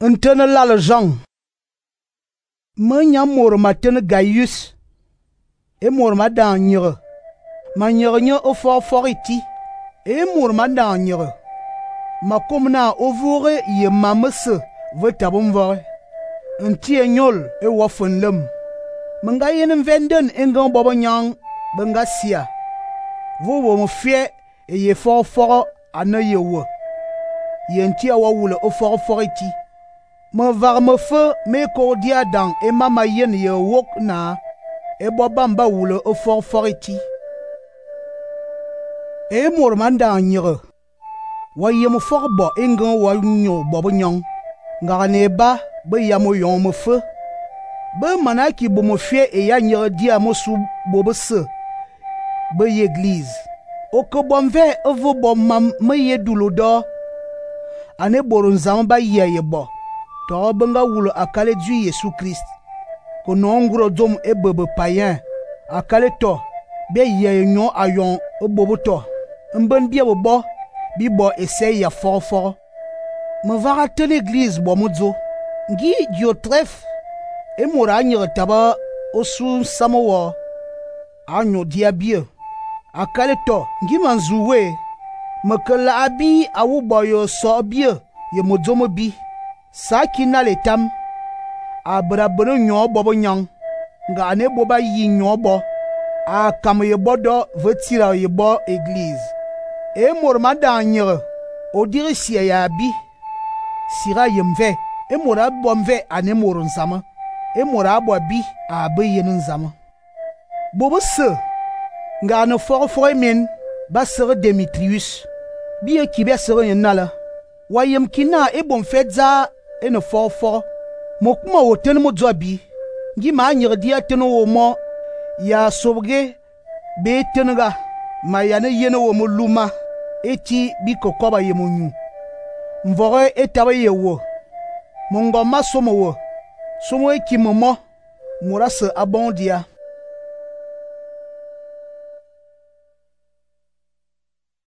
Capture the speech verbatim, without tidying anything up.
Ntene lal Jean. Me nyam mor ma tene Gaius. E mor ma dan nyere. Ma nyere nye o for for iti. E mor ma dan nyere. Ma kom na ovure ye ma mese ve tabum vore. Nti e nyol e wafen lem. Menga yen venden engan bobo nyang benga sia. Vo wo mo fie e ye for for ane ye wo. Ye nti a wa wule o for for iti. Me var me fe me kordia dan e mama yen ye wok na e bo bamba wule o for for iti. E mor man dan nyere. Wa ye mo for bo engan wa nyo bobo nyang. Ngara ne ba be ya mo yon me fe. Be manaki bo mo fie e ya nyere dia mo su bobo se. Be ye église. O ke bom ve evo bom mam me ye dulo do. Ane boron zam ba ye ye bo. To benga wule akale du Yesu Christ. Ko non nguro dom e bebe payen. Akale to be ye nyon ayon e bobo to. Mben bie bo bo bi bo essaye ya for for. Me vara te l'église bo modzo. Ngi Diotref e mora nyere taba osu samowo. Anyo dia bie. Akale to ngi manzuwe. Me ke la abi awu boyo so bie ye modzo mo bi. Sa ki na le tam. Abra bere nyon bobo nyang. Nga ane boba yi nyon bo. A kam ye bodo vetira ye bo église. E mor ma dan nyere. O dire siya ya bi. Sira yemve. E mora bomve ane mor nzama. E mora bo bi a be yen nzama. Bobo se. Nga ane for for men. Ba sere Demetrius. Bi e kibe sere yen nala. Wayem kina e bom fedza e ne for for. Mokuma wo tene mo bi. Ngi ma nyere dia tene wo mo. Ya sobge. Be tenega. Ma yane yene wo mo luma. Eti bi kokoba ye mo nyu. Mvore etabe ye wo. Mongo ma somo wo. Somo e ki momo. Mora se abondia.